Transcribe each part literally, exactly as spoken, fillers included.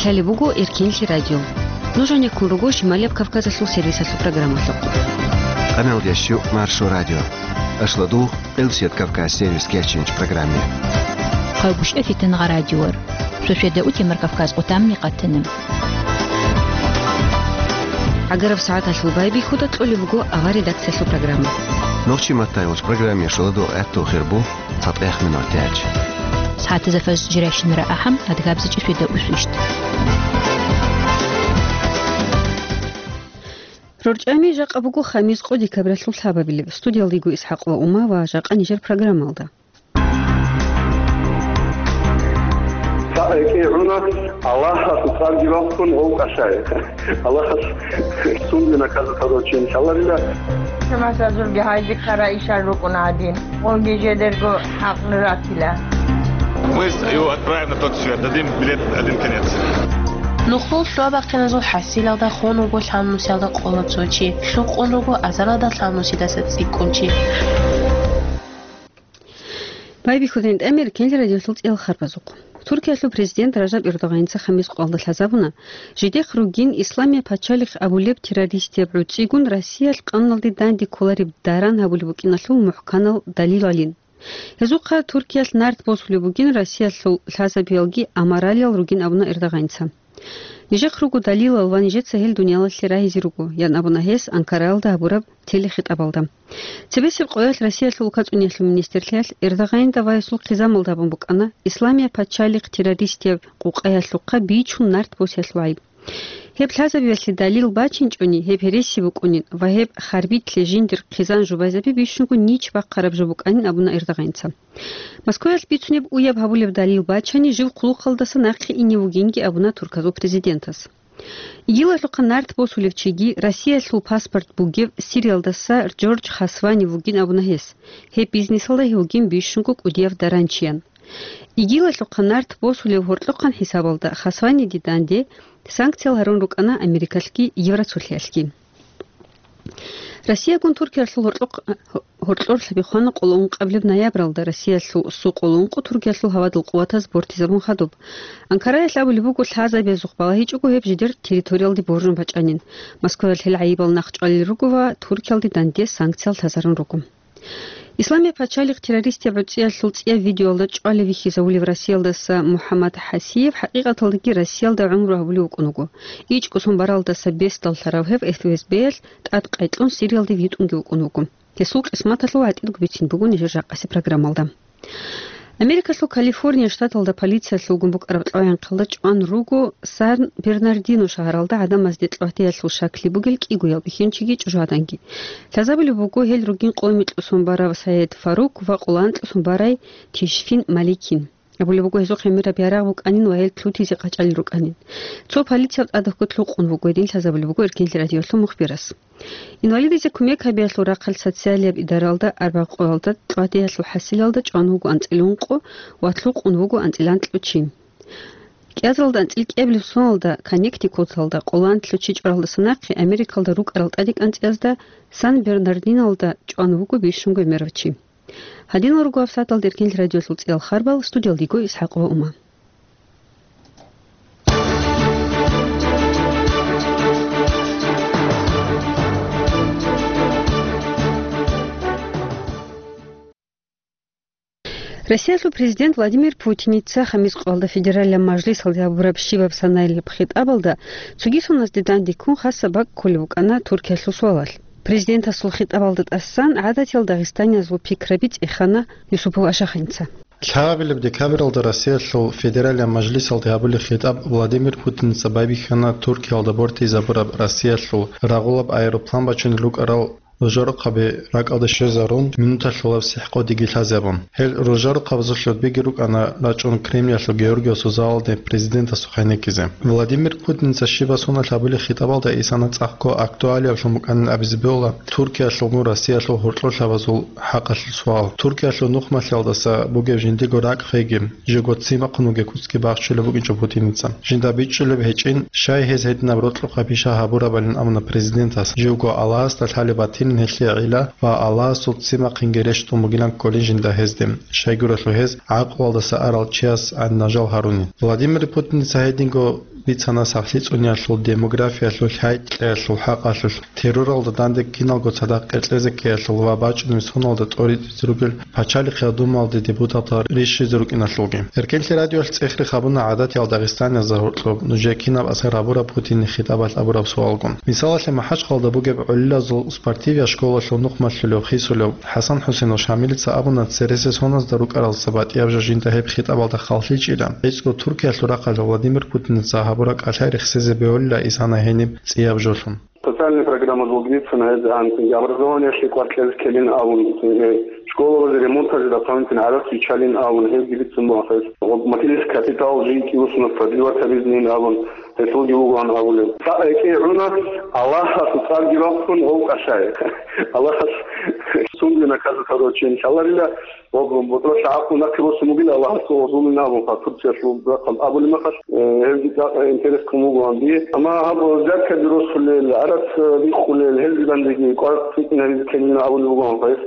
Гьале буго Эркенлъи радио. Нуж гьанеккун руго Шималияб Кавказалъул сервисалъул программалъухъ. Къаналдящу Маршо радио. Ашладу Къилсият Кавказ сервис кечинч программе. Хъавгушев Фитангъа радиор. Шошеда утемар Кавказ къутамни къатана. Агараб сагӀаталъул байбихьуда кьолеб буго авар редакциялъул программа. Нохчи маттай уч программе шуладу гӀатту хирбу. Цадгъех минутач. СагӀатазда фажр жирайщинара ахӀам, адгабзичӀеб шуйда усвищт. РорчӀами жакъа буго хамис къо декабралъул лъабабилеб. Студиялдего ИсхӀакъ ва Ума ва жакъа нижер программалда. КигӀуна Аллагьасул цӀарги бахъун гъов кӀалъай. Аллагьас сунде наказать гьабурав чи иншаллагьила. Шамасазулги гьайзе ккара ишал рукӀуна гьадин. Гъоги жедерго хӀакълу ратила. Мы его отправим на тот свет, дадим билет один конец. Нухлул лъугьа-бахъиназул хӀасилалда хун вуго лъалнусиялда къола цо чи, лъукъун руго азаралда лъалнусидаса цӀикӀкӀун чи. Байбихьудин тӀамир кел радиолъул цӀел харбазухъ. Туркиялъул президент Ражаб Эрдогъаница хамис къоялда лъазабуна, жидехъ ругин Исламия пачалихъ абулеб террористияб гӀуцӀигун Россиялъ къаналде данде кколареб даран гьабулеб букӀиналъул мухӀканал далил гӀолин. Гьезухъа Туркиялъ нарт босулеб бугин Россиялъул лъазабиялги амаралиял ругин абуна Эрдогъаница. Нижехъ руго далилал ва нижеца гьел дуниялалъе рагьизе руго, ян абуна гьес Анкараялда гьабураб телехитӀабалда. Цебесеб къоялъ Россиялъул улкацӀуниялъул министрлъиялъ Эрдогъанида ва гьесул хъизамалда абун букӀана Исламия пачалихъ террористияб къукъаялъухъа бичун нарт босиялъул гӀайиб. Гьеб лъазабиялъе далил бачинчӀони, гьеб гьереси букӀунин ва гьеб харбилъе жиндир хъизан жубайзаби бищунго нич бахъараб жо букӀанин абуна Эрдогъаница. Москваялъ бицунеб уяб гьабулеб далил бачани, жив хъулухъалдаса нахъе ине вугинги абуна турказул президентас. ИГИЛалъухъа нарт босулев чиги, Россиялъул паспорт бугев Сириялдаса Джордж Хасвани вугин абуна гьес. Гьеб бизнесалда гьев вугин бищунго кӀудияв даранчиян. ИГИЛалъухъа нарт босулев гьоркьохъан хӀисабалда Хасваниде данде санкциял гьарун рукӀана Америкалъги Евросулъиялъги. Россиягун Туркиялъул гьоркьохъ-, гьоркьор лъабихъвана къоло ункъабилеб ноябралда Россиялъул су къоло ункъо Туркиялъул гьавадул къуватаз бортизабун хадуб. Анкараялъ абулеб буго лъазабиязухъ балагьичӀого гьеб жидер территориялде боржун бачӀанин. Москваялъ гьел гӀайибал нахъчӀвалел руго ва Туркиялде данде санкциял лъазарун руго. Исламия пачалихъ террористияб гӀуцӀиялъул цӀияб видеоялда чӀвалев вихьизавулев Россиялдаса МухӀаммад ХӀасиев хӀакъикъаталдаги Россиялда гӀумру гьабулев вукӀун вуго. ИчӀго сон баралдаса бесдал лъарав гьев ФСБ-ялъ тӀад къайкьун Сириялде витӀунги вукӀун вуго. Гьесул къисматалъул гӀатӀидго бицин буго нижер жакъасе программалда. Америкалъул Калифорния штаталда полициялъулгун букӀараб кьвагӀинхъалда чӀван руго Сан-Бернардино шагьаралда гӀадамазде кьвагьтеялъул шаклъи бугел кӀигоял бихьинчиги чӀужугӀаданги. Лъазабулеб буго гьел ругин къо-, микьусон барав Саид Фарук ва къоло анкьусон барай Тишфин Маликин. Абулеб буго, гьезухъ гӀемераб ярагъ букӀанин ва гьел лъутизе къачӀалел рукӀанин. Цо полицияб тӀадабго лъукъун вуго гьедин лъазабулеб буго Эркенлъи радиолъул мухбирас. Инвалидизе кумек гьабиялъул рахъалъ социалияб идаралда арбякъоялда кьвагьтеялъул хӀасилалда чӀван вуго анцӀила ункъо ва лъукъун вуго анцӀила анкьго чи. КӀиазаралда анцӀила кӀиабилеб соналда Коннектикуталда къоло анкьго чи чӀваралдаса нахъе Америкалда рукӀарал тӀаде кӀанцӀиязда Сан-Бернардиналда чӀван вуго бищунго гӀемерав чи. Гьадинал руго гьабсагӀаталда Эркенлъи радиолъул цӀиял харбал, студиялда йиго ИсхӀакъ ва Ума. Россиялъул президент Владимир Путиница хамис къоялда федералияб мажлисалде гьабураб щибаб санаялъул хитӀабалда цоги соназде данде ккун хасаб бакӀ кколеб букӀана Туркиялъул суалалъ. Президентасул хитӀабалда тӀасан гӀадатиял дагъистаниязул пикраби цӀехана Юсупов Ашаханица. Лъабабилеб декабралда Россиялъул Федералияб Мажлисалде гьабулеб хитӀаб Владимир Путиница байбихьана Туркиялда бортизабураб Россиялъул рагъулаб аэроплан бачунел рукӀарал ружарухъаби ракӀалде щвезарун, минуталъулаб сихӀкъодиги лъазабун. Гьел ружарухъабазул гьудбиги рукӀана рачӀун Кремлялъул Георгиевасул залалде президентасухъ гьенеккизе. Владимир Путиница щибаб соналъ гьабулеб хитӀабалда исана цӀакъго актуалиаблъун букӀанин абизе бегьула Туркиялъулгун Россиялъул гьоркьор лъабазул хӀакъалъулъ суал. Туркиялъул нухмалъиялдаса бугеб жиндиего ракӀ хвеги, живго ццин бахъун вугеб куцги бахчулеб букӀинчӀо Путиница. Жинда бичӀчӀулеб гьечӀин, щай гьез гьединаб рокьукъаб пиша гьабурабалин абуна президентас, живго Аллагьасда лъалеб батилин гьелъие гӀилла ва Аллагьасул ццин бахъинги рещтӀун бугилан кколин жинда гьезде, щайгурелъул гьез гӀакълуялдаса арал чияс гӀадинал жал гьарунин. Владимир Путиница гьединго бицана сахлъи цӀуниялъул, демографиялъул, хӀай-кьеялъул хӀакъалъулъ, терроралда данде киналго цадахъ къеркьезе ккеялъул ва бачӀунеб соналда тӀоритӀизе ругел пачалихъ Думалде депутатал рищизе рукӀиналъулги. Эркенлъи радиоялъ цӀехрехъ гьабуна гӀадатиял дагъистаниязда гьоркьоб нужее кинаб асар гьабураб Путинил хитӀабалъ абураб суалгун. Мисалалъе, МахӀачхъалда бугеб гӀолилазул спортивиял школалъул нухмалъулев, хисулев ХӀасан-ХӀусенов Шамилица абуна, цересел соназда рукӀаралдаса батӀияб жо жинда гьеб хитӀабалда халлъичӀила, гьечӀго Туркиялъул рахъалъ Владимир Путиница гьабураб кӀалъай рехсезе бегьулила исана гьениб цӀияб жолъун. Социальная программа долгвицина гьезан, образованиялъе кӀвар кьезе ккелин абун, э, школалазе ремонталъе дополнительно гӀарац биччалин абун, гьезги бицун бугьахъес. Материнский капитал жинкӀи усуна продлевать гьабизин абун, гьелъулги вугоан абулеб. Цо рекӀее гӀуна, Аллагьасул цӀарги бахъун гъов кӀалъай. Аллагьас сунги наказать гьабурав чи, иншаллагьила, ва бутӀрулъа гӀакълу нахъе босун бугила Аллагьасул гъозулин абун, ха, Турциялъул рахъал абулеб мехалъ, э, гьезги цӀакъ интерес ккун бугоан дие. Амма гьаб взяткаби росулел, гӀарац, э, биххулел, гьелги данде кӀвар цӀикӀкӀинабизе ккелин абулеб бугоан гьес.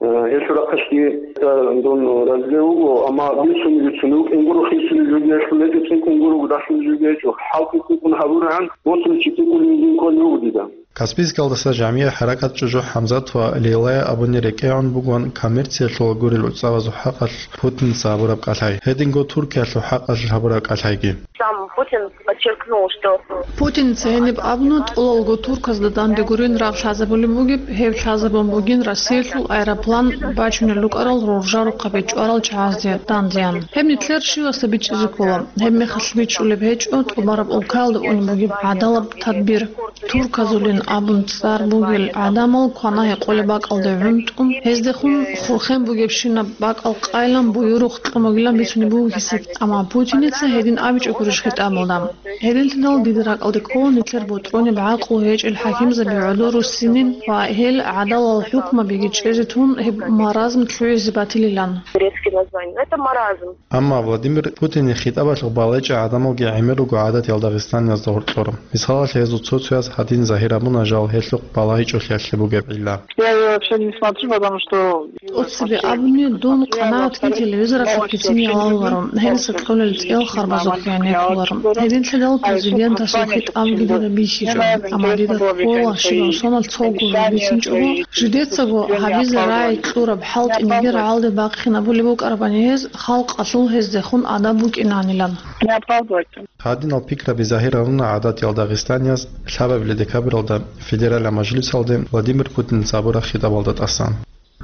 Э, гьелъул рахъалъги, э, дун разилев вуго, амма бицунеб-бицунеб букӀин гуро, хисулеб жоги гьелъул гьечӀо, цӀикӀкӀун гуро, дагьлъулеб жоги гьечӀо. ХӀалтӀи цӀикӀкӀун гьабурагӀан, босуличи цӀикӀкӀулин жин кколев вуго дида. Каспийскалдаса жамигӀ-хӀаракат чӀужу ХӀамзат ва Лейлая абуни рекӀегӀун бугоан коммерциялъул гурел уцӀавазул хӀакъалъ Путинца гьабураб кӀалъай, гьединго Туркиялъул хӀакъалъ гьабураб кӀалъайги. Сам Путин подчеркнул, что Путинца гьениб абуна, тӀолалго турказда данде гурин рагъ лъазабулеб бугеб, гьеб лъазабун бугин Россиялъул аэроплан бачунел рукӀарал роржарухъабе чӀварал чагӀазде дандеян. Гьеб нилъер щивасда бичӀчӀизе ккола. Гьеб мехалъ бичӀчӀулеб гьечӀо тӀубараб улкаялда унеб бугеб гӀадалаб тадбир. Турказулин абун цӀар бугел гӀадамал квана-гьекъолеб бакӀалде гӀунтӀун, гьездехун хурхен бугебщинаб бакӀал къайилан буюрухъ кьун бугилан бицунеб буго гьесие. Амма Путиница гьедин абичӀо гурищ хитӀабалда? Гьединлъидал дида ракӀалде ккола нилъер бутӀрунеб гӀакълу гьечӀел хӀакимзаби гӀодор руссинин ва гьел гӀадалал хӀукмабиги чӀезе тун гьеб маразм лъугӀизе батилилан. Турецкий название. Это маразм. Амма Владимир Путинил хитӀабалъухъ балагьичӀел гӀадамалги гӀемер руго гӀадатиял дагъистаниязда гьоркьор. Мисалалъе, гьезул цо-цояз гьадин загьир абуна, жал гьелъухъ балагьичӀолъиялъе бугеб гӀилла. Я её вообще не смотрю, потому что ТӀоцебе абуни, дун къанагӀат ккун телевизоралъухъ кицин ялаларо, гьелдаса кьолел цӀел харбазухъе гӀенеккуларо. Гьединлъидал президентасул хитӀабги дида бихьичӀо, амма дида ккола щибаб соналъ цого жо бицинчӀого, жидецаго гьабизе рагӀи кьураб хӀалтӀи нигер гьалде бахъинабулеб букӀарабани гьез, халкъалъул гьездехун адаб букӀинанилан. Не оправдывать. Гьадинал пикраби загьир гьаруна гӀадатиял дагъистанияз лъабабилеб декабралда Федералияб мажлисалде Владимир Путинца гьабураб хитӀабалда тӀасан.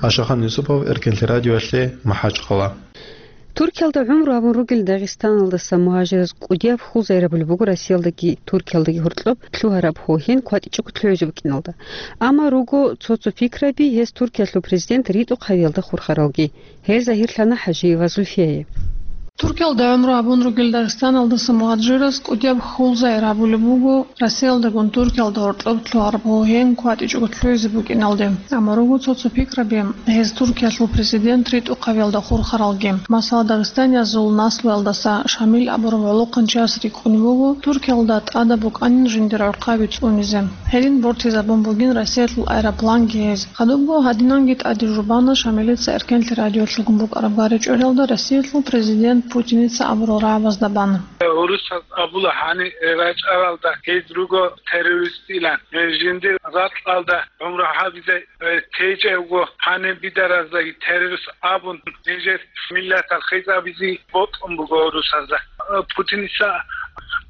Ашахан Юсупов, Эркенлъи радиоялъе, МахӀачхъала. Туркиялда гӀумру гьабун ругел Дагъистаналдаса мугьажираз кӀудияб хьул загьирабулеб буго Россиялдаги Туркиялдаги гьоркьоб лъугьараб гьогьен кватӀичӀого лъугӀизе букӀиналда. Амма руго цо-цо пикраби гьез Туркиялъул президент ритӀухъ гьавиялда хурхаралги. Гьел загьирлъана ХӀажиева Зульфияе. Туркиялда гӀумру гьабун ругел Дагъистаналдаса мугьажираз кӀудияб хьул загьир гьабулеб буго Россиялдагун Туркиялда гьоркьоб лъугьараб гьогьен кватӀичӀого лъугӀизе букӀиналде. Амма руго цо-цо пикраби гьез Туркиялъул президент ритӀухъ гьавиялда хурхаралги. Масала, дагъистаниязул наслуялдаса Шамил абурав гӀолохъанчияс рикӀкӀунеб буго Туркиялда тӀадаб букӀанин жиндир гӀурхъаби цӀунизе. Гьедин бортизабун бугин Россиялъул аэропланги гьез. Хадубго гьадинанги тӀаде жубана Шамилица Эркенлъи радиоялъулгун букӀараб гъаричӀолъиялда Россиялъул президент Путиница абурал рагӀабазда бан. Гьурусаз абула гьанир рачӀаралда гьез руго террористилан, жиндир ракьалда гӀумру гьабизе течӀевго гьанир бидараздаги террорист абун, нижер миллатал хӀисабизе бокьун буго гьурусазда. Путиница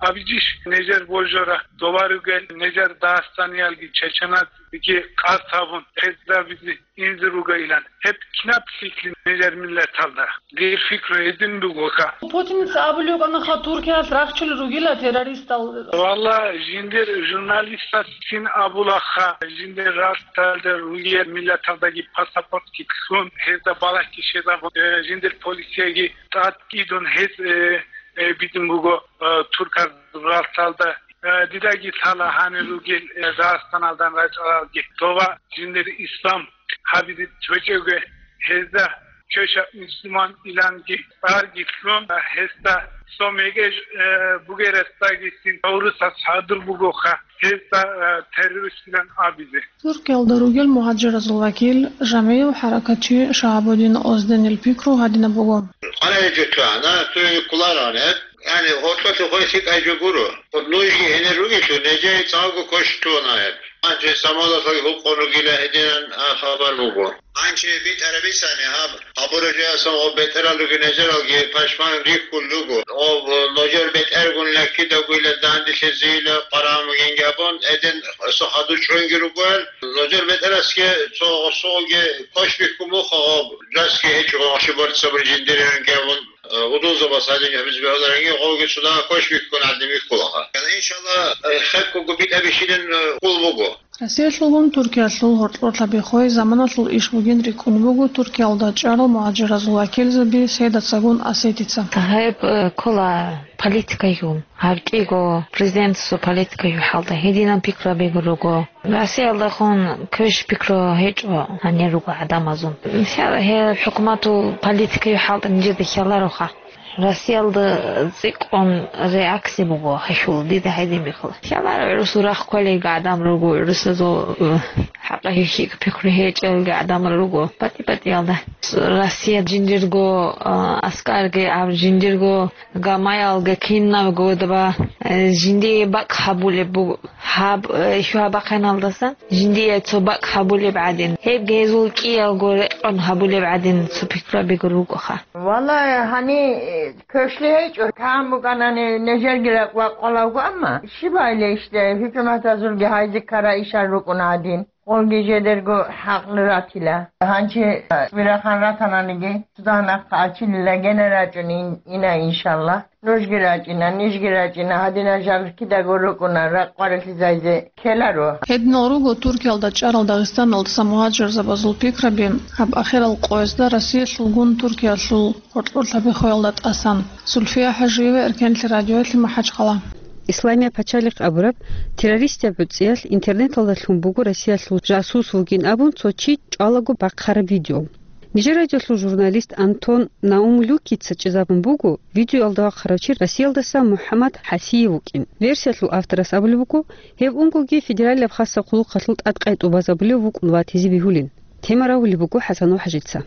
абичӀищ нижер божара доваругел нижер дагъистаниялги чеченазги къасд гьабун, гьезда бизе инзе ругайилан. Гьеб кинаб лъикӀлъи нижер миллаталда? Дир пикру гьедин бугоха. Путиница абулев вукӀанаха Туркиялъ рахчулел ругила террористал. Валла, жиндир журналистас цин абулаха, жиндир ралталда ругел миллаталдаги паспортги кьун, гьезда балагьги щвезабун, э, жиндир полицияги тӀад идун гьез, э, э, бидун буго, э, турказ ралталда. Э, дидаги лъала гьанир ругел, э, Дагъистаналдан рачӀаралги. Дова жиндир ислам гьабизе течӀевги гьезда чӀеша мусулман иланги цӀарги лъун, э, гьезда цо мекӀе, э, бугерасдагицин гьурусаз хӀадур бугоха гьезда, э, террористилан абизе. Туркиялда ругел мугьажиразул вакил, жамигӀав хӀаракатчи Шагьабудин Озденил пикру гьадинаб буго. Къана гьечӀо чӀвана, цо кколароан гьеб. Яни гьоркьолъи хъвей лъикӀай жо гуро. Нужги гьенир ругелъул, нижее цӀакъго квешлъуна гьеб. Гьанже самолетлъаги гьукъун ругила гьединан, а, хабар буго. Гьанже битӀараб бицани гьаб, гьабураб жоялъун гъоб бетӀерал ругел нижералги пашман рихьулел руго. Гъоб нужер бетӀергун лъаккидагуйла данделъизейила къварагӀун бугин абун, гьедин цо хадур чӀунги ругоян. Нужер бетӀерасги цо гъосулги квеш бихьун буго гъоб, жасги гьечӀо гъоши борцабур жиндирин абун. Гьудулзабаз гьадин гьабизе бегьуларанги, гъовги цо дагьа квеш бихьун гӀадин бихьулаха. Иншалла, хебкого битӀа бихьилин хъул буго. Россиялъулгун Туркиялъул гьоркьорлъаби хвей заманалъул иш бугин рикӀкӀун буго Туркиялда чӀарал мугьажиразул вакилзаби Сейдацагун Асетица. Гьеб, э, ккола политикайгун, гьаб кӀиго президентасул политикайгун хӀалда гьединаб пикраби руго. Россиялдехун квеш пикру гьечӀо гьанир руго гӀадамазул. Мисал, гьеб хӀукуматул политикаялъул хӀалтӀи нижеда хьалароха. Россиялда цӀикӀкӀун реакция буго гьелъул, дида гьедин бихьула. Хьаларо гӀурусул рахъ кколелги гӀадамал руго, гӀурусазул, э, хӀакъаб хӀихьизе пикру гьечӀелги гӀадамал руго, батӀи-батӀиялда. Россия жиндирго, э, аскарги, гьаб жиндирго гамаялги кинабго дова, э, жиндие бакӀ гьабулеб буго. Гьаб, э, хьвабахъиналдасан жиндие цо бакӀ гьабулеб гӀадин, гьебги гьезул кӀиялго рекъон гьабулеб гӀадин цо пикраби ругоха. Валлагь, гьани, э, квешлъи гьечӀо, кан букӀанани нижерги ракӀ вакъулев вуго, амма щиб гьайилищ, хӀукуматазулги гьайзе ккарай ишал рукӀуна гьадин. Гъолги жидерго хӀакълу ратила. Гьанже, э, цӀибирахъан ратананиги, цо дагьа нахъа ачилила гьенир рачӀун ин-, ина, иншалла. Нужги рачӀина, нижги рачӀина, гьадинал жал кидаго рукӀуна, ракъ къварилъизайзе ккеларо. Гьединал руго Туркиялда чӀарал Дагъистаналдаса мугьажирзабазул пикраби, гьаб ахирал къоязда Россиялъулгун Туркиялъул гьоркьорлъаби хвеялда тӀасан. Зульфия Хажиева, Эркенлъи радиоялъе, МахӀачхъала. Исламия пачалихъ абураб террористияб гӀуцӀиялъ интернеталда лъун буго Россиялъул жасус вугин абун цо чи чӀвалаго бахъараб видео. Нижер радиолъул журналист Антон Наумлюкица чӀезабун буго, видеоялда вахъарав чи Россиялдаса МухӀаммад ХӀасиев вукӀин. Версиялъул авторас абулеб буго, гьев унгоги федералияб хасаб хъулухъалъул тӀадкъай тӀубазабулев вукӀун ватизе бегьулин. Тема рагьулеб буго ХӀасанов ХӀажица.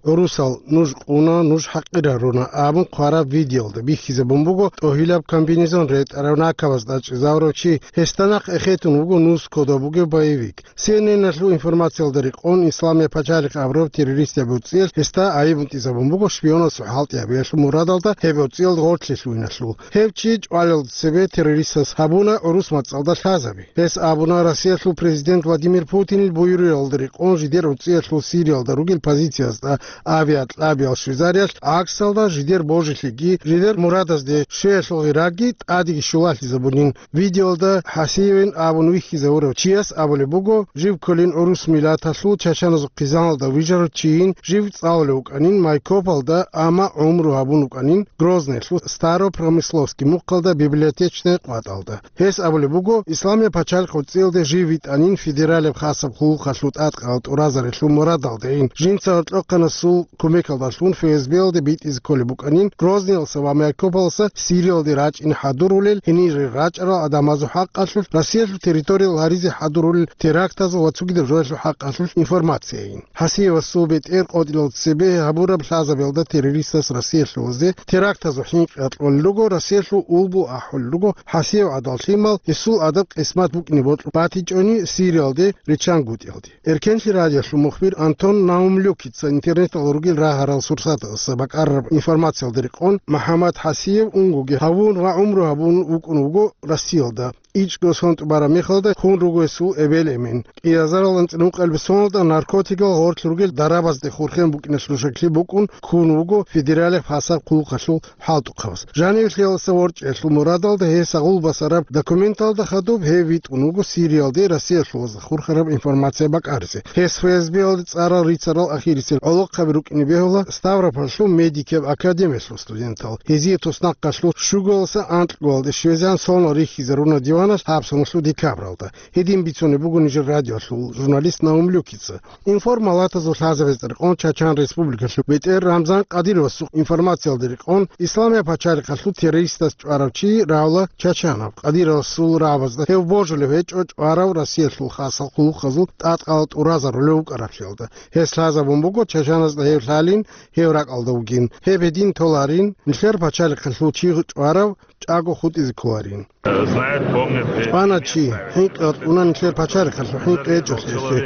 «ГӀурусал, нуж къуна, нуж хӀакъираруна», – абун хъвараб видеоялда бихьизабун буго тӀогьилаб комбинезон ретӀарав накабазда чӀезавурав чи, гьесда нахъ эхетун вуго нус кодоб бугев боевик. Си Эн Эн-алъул информациялда рекъон, Исламия пачалихъ абураб террористияб гӀуцӀиялъ гьесда айиб бутӀизабун буго шпионасул хӀалтӀи гьабиялъул мурадалда гьеб гӀуцӀиялда гъорлъе лъугьиналъул. Гьев чи чӀвалелда цебе террористас гьабуна гӀурус мацӀалда лъазаби. Гьес абуна, Россиялъул президент Владимир Путинил буюралда рекъон жидер гӀуцӀиялъул Сириялда ругел позициязда авиакьабиял щвезариялъ гӀаксалда жидер божилъиги, жидер мурадазде щвеялъул гъираги тӀадеги щулалъизабунин. Видеоялда ХӀасиевин абун вихьизавурав чияс абулеб буго, жив кколин гӀурус миллаталъул чачаназул хъизаналда вижарав чийин, жив цӀалулев вукӀанин Майкопалда, амма гӀумру гьабун вукӀанин Грозныйлъул Старопромысловский мухъалда библиотечный къватӀалда. Гьес абулеб буго, Исламия пачалихъ гӀуцӀиялде жив витӀанин федералияб хасаб хъулухъалъул тӀадкъарал тӀуразарилъул мурадалдайин, жинца гьоркьохъанасул кумекалдалъун ФСБ-ялде битӀизе кколеб букӀанин Грозныялъа ва Майкопаласа Сириялде рачӀине хӀадурулел, гьенире рачӀарал гӀадамазул хӀакъалъулъ, Россиялъул территориял гьаризе хӀадурулел терактазул ва цогидаб жоялъул хӀакъалъулъ информацияйин. ХӀасиевасул бетӀер къотӀилалда цебе гьабураб лъазабиялда террористас Россиялъулазе терактазул хӀинкъи кьолел руго, Россиялъул улбу ахӀулел руго, ХӀасиев гӀадал лъимал, гьесул адаб-къисмат букӀине бокьун батичӀони Сириялде риччан гутӀиялде. Эркенлъи радиолъул мухбир Антон Наумлюкица интернеталда ругел рагьарал сурсаталъаса бакӀарараб информациялда рекъон, МухӀаммад ХӀасиев унгоги гьавун ва гӀумру гьабун вукӀун вуго Россиялда. ИчӀго сон тӀубараб мехалда хун руго гьесул эбел-эмен. КӀиазарал анцӀила ункъабилеб соналда наркотикал гъорлъ ругел дарабазде хурхен букӀиналъул шаклъи букӀун ккун вуго федералияб хасаб хъулухъалъул хӀалтӀухъабаз. Жанивлъиялдаса ворчӀиялъул мурадалда гьес агъул басараб документалда хадуб гьев витӀун вуго Сириялде Россиялъулазда хурхараб информация бакӀаризе. Гьес ФСБ-ялде цӀарал рицарал ахирисел гӀолохъаби рукӀине бегьула Ставропольлъул медикияб академиялъул студентал. Гьезие туснахъалъур щугалъуса анкьго-алде щвезегӀан сонал рихьизаруна диван ккана гьаб соналъул декабралда. Гьедин бицунеб буго нижер радиоялъул журналист Наум Люкица. Информалатазул лъазабазда рекъон Чачан Республикалъул бетӀер Рамзан Кадировасул информациялда рекъон, Исламияб пачалихъалъул террористас чӀварав чи равла Чачанов. Кадировасул рагӀабазда гьев божулев гьечӀо, чӀварав Россиялъул хасал хъулухъазул тӀадкъала тӀуразарулев вукӀараблъиялда. Гьес лъазабун буго Чачаназда гьев лъалин, гьев ракӀалда вугин. Гьеб гьедин толарин, нилъер пачалихъалъул чи чӀварав чӀаго хутӀизе кколарин. Знает, помнит. ЧӀвана чи, хӀинкъи гьатӀуна нилъер пачалихъалъул хӀинкъи гьечӀолъиялъе.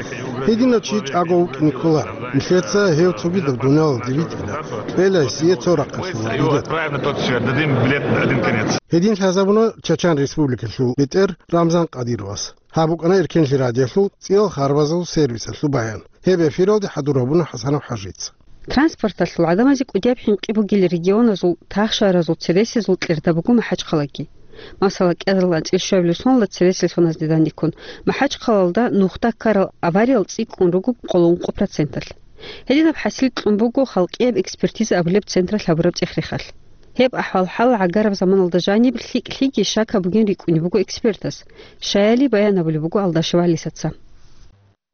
Гьединав чи чӀаго вукӀине кколар. Нилъеца гьев цогидаб дуниялалде витӀила. Кьела гьесие цо рахъалъула билет. Правильно, тот сфер. Дадим билет один конец. Гьедин лъазабуна Чачан Республикалъул бетӀер Рамзан Кадировас. Гьаб букӀана Эркенлъи радиолъул цӀиял харбазул сервисалъул баян. Гьеб эфиралде хӀадур гьабуна ХӀасанов ХӀажица. Транспорталъул гӀадамазе кӀудияб хӀинкъи бугел регионазул тахшаразул цересезул кьерда буго МахӀачхъалаги. Масала, кӀиазул анцӀил щуабилеб соналда цересел соназде данде ккун, МахӀачхъалалда нухда ккарал авариял цӀикӀкӀун руго къоло ункъо проценталъ. Гьединаб хӀасил кьун буго халкъияб экспертиза абулеб централъ гьабураб цӀех-рехалъ. Гьеб ахӀвал-хӀал гӀагараб заманалда жаниб лъикӀлъиги щакаб бугин рикӀкӀунеб буго экспертас. Щаяли баян абулеб буго Алдашев ГӀалисаца.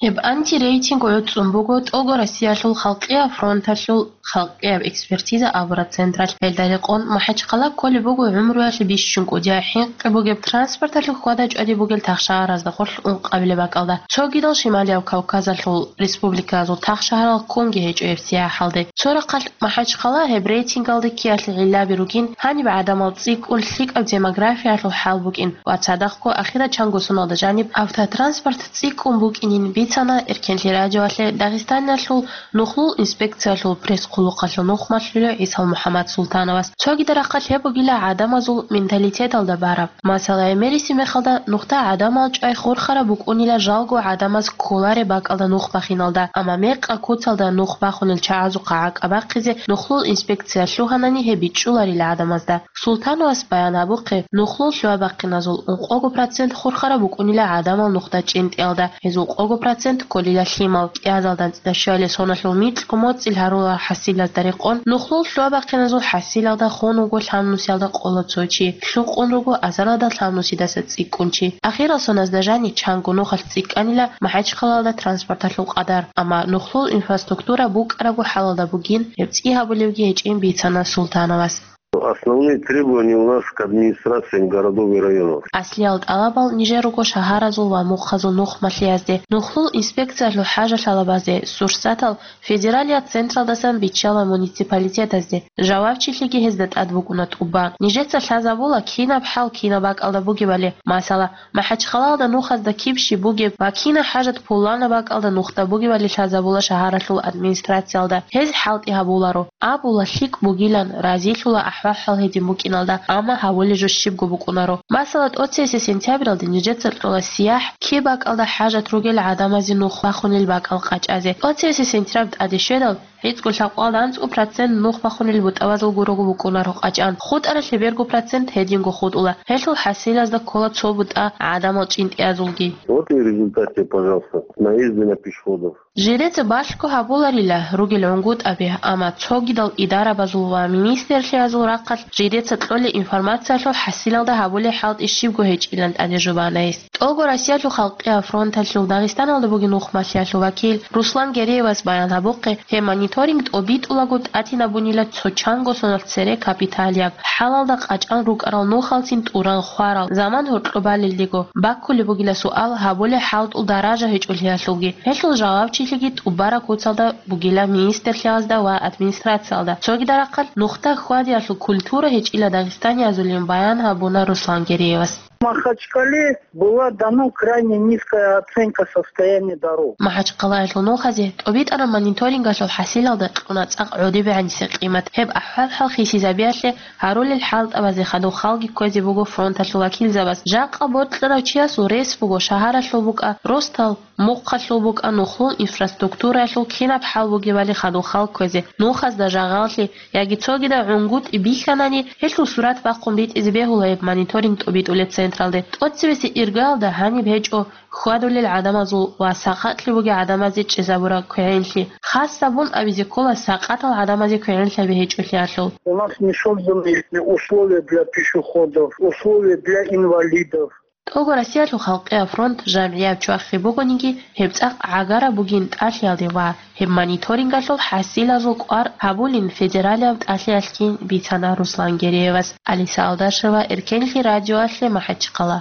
Гьеб антирейтинг гӀуцӀун буго ТӀого Россиялъул халкъияб фронталъул халкъияб экспертиза абураб централъ. Гьелда рекъон, МахӀачхъала кколеб буго гӀумруялъе бищун кӀудияб хӀинкъи бугеб транспорталъул хьвада-чӀвади бугел тахшаразда гъорлъ ункъабилеб бакӀалда. Цогидал Шималияб Кавказалъул республикаялъул тахшагьарал ккунги гьечӀо гьеб сияхӀалде. Цо рахъалъ МахӀачхъала гьеб рейтингалде ккеялъе гӀиллаби ругин, гьаниб гӀадамал цӀикӀкӀун лъикӀаб демографиялъул хӀал букӀин ва цадахъго ахирачанго соналда жаниб автотранспорт цӀикӀкӀун букӀинин бицана Эркенлъи радиоялъе Дагъистаниялъул нухлул инспекциялъул пресс-хъулухъалъул нухмалъулев ГӀисал МухӀаммад Султановас. Цогида рахъалъ гьеб бугила гӀадамазул менталитеталда бараб. Масала, гӀемериси мехалда нухда гӀадамал чӀвай хурхараб букӀунила жалго гӀадамаз кколареб бакӀалда нух бахиналда, амма мекъа куцалда нух бахунел чагӀазухъа гӀакӀабахъизе нухлул инспекция лъугьанани гьеб бичӀчӀуларила гӀадамазда. Султановас баян гьабухъе, нухлул лъугьа-бахъиназул ункъого процент хурхараб букӀунила гӀадамал нухда чӀинтӀиялда, гьез ункъого процент кколила лъимал. КӀиазалда анцӀила щуабилеб соналъул микьго моцӀил гьарулел хӀасилазда рекъон, нухлул лъугьа-бахъиназул хӀасилалда хун вуго лъабнусиялда къоло цо чи, лъукъун руго азаралда лъабнусидаса цӀикӀкӀун чи. Ахирал соназда жаниб чанго нухалъ цӀикӀкӀанила МахӀачхъалалда транспорталъул къадар, амма нухлул инфраструктура букӀарабго хӀалалда бугин, гьеб цӀи гьабулебги гьечӀин бицана Султановас. Основные требования у нас к администрациям городов и районов. Аслиял тӀалабал нижер руго шагьаразул ва мухъазул нухмалъиязде, нухлул инспекциялъул хӀажалъалабазде, сурсатал федералияб централдасан биччала муниципалитетазде. Жавабчилъиги гьезда тӀад букӀуна тӀубан. Нижеца лъазабула кинаб хӀал кинаб бакӀалда бугебали, масала, МахӀачхъалалда нухазда киб щиб бугеб ва кинаб хӀажат пуланаб бакӀалда нухда бугебали лъазабула шагьаралъул администрациялда, гьез хӀалтӀи гьабуларо. Абула лъикӀ бугилан, разилъула ахӀвал-хӀал гьедин букӀиналда, амма гьабулеб жо щибго букӀунаро. Масала, тӀоцебесеб сентябралде нижеца кьола сияхӀ, киб бакӀалда хӀажат ругел гӀадамазе нух бахунел бакӀал къачӀазе. ТӀоцебесеб сентябрь тӀаде щведал, гӀицӀго лъабкъоялда анцӀго процент нух бахунел бутӀабазул гурого букӀунаро къачӀан, хутӀаралъе бергу процент гьединго хутӀула. Гьелъул хӀасилазда ккола цо бутӀа гӀадамал чӀинтӀиязулги. Вот и результат тебе, пожалуйста, наезды на пешеходов. Жидеца балъго гьабуларила ругел гӀунгутӀаби, амма цогидал идарабазул ва министрлъиязул рахъалъ жидеца кьолеб информациялъул хӀасилалда гьабулеб хӀалтӀи щибго гьечӀилан тӀаде жубана гьес. ТӀого Россиялъул халкъияб фронталъул Дагъистаналда бугеб нухмалъиялъул вакил Руслан Гереевас баян гьабухъе, гьеб мониторинг тӀобитӀулаго тӀатинабунила цо чанго соналъ цере капиталияб хӀалалда къачӀан рукӀарал нухалцин тӀуран хварал заман гьоркьоб балелдего. Баккулеб бугила суал гьабулеб хӀалтӀул даража гьечӀолъиялъулги. Гьелъул жавабчилъиги тӀубараб куцалда бугила министрлъиязда ва администрациялда. Цогида рахъалъ нухда хьвадиялъул культура гьечӀила дагъистаниязулин баян гьабуна Руслан Гереевас. В Махачкале была дана крайне низкая оценка состояния дорог. МахӀачхъалаялъул нухазе тӀобитӀараб мониторингалъул хӀасилалда кьуна цӀакъ гӀодобегӀанисеб къимат. Гьеб ахӀвал-хӀал хисизабиялъе гьарулел хӀалтӀабазе хадуб халги кквезе буго фронталъул вакилзабаз. Жакъа бокьарав чиясул рес буго шагьаралъул букӀа, росдал мухъалъул букӀа, нухлул инфраструктураялъул кинаб хӀал бугебали хадуб хал кквезе, нухазда жагъаллъи яги цогидал гӀунгутӀи бихьанани, гьелъул сурат бахъун битӀизе бегьула гьеб мониторинг тӀобитӀулеб централде. ТӀоцебесеб иргаялда гьаниб гьечӀо хьвадулел гӀадамазул ва сакъатлъи бугел гӀадамазе чӀезабураб квегӀенлъи. Хасабун абизе ккола сакъатал гӀадамазе квегӀенлъаби гьечӀолъиялъул. У нас не созданы условия для пешеходов, условия для инвалидов. ТӀого Россиялъул халкъияб фронт жамгӀияб чвахи бугониги, гьеб цӀакъ гӀагараб бугин тӀалъиялде ва гьеб мониторингалъул хӀасилазул кӀвар гьабулин федералияб тӀалъиялъгин бицана Руслан Гереевас. Алиса Алдашева, Эркенлъи радиоялъе, МахӀачхъала.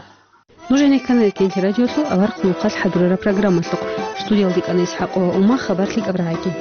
Нуж гьенеккана Эркенлъи радиолъул аварагъ нухалъ хӀадурараб программалъухъ. Студиялде кӀана ИсхӀакъова Ума, хабар лъикӀаб рагӀаги.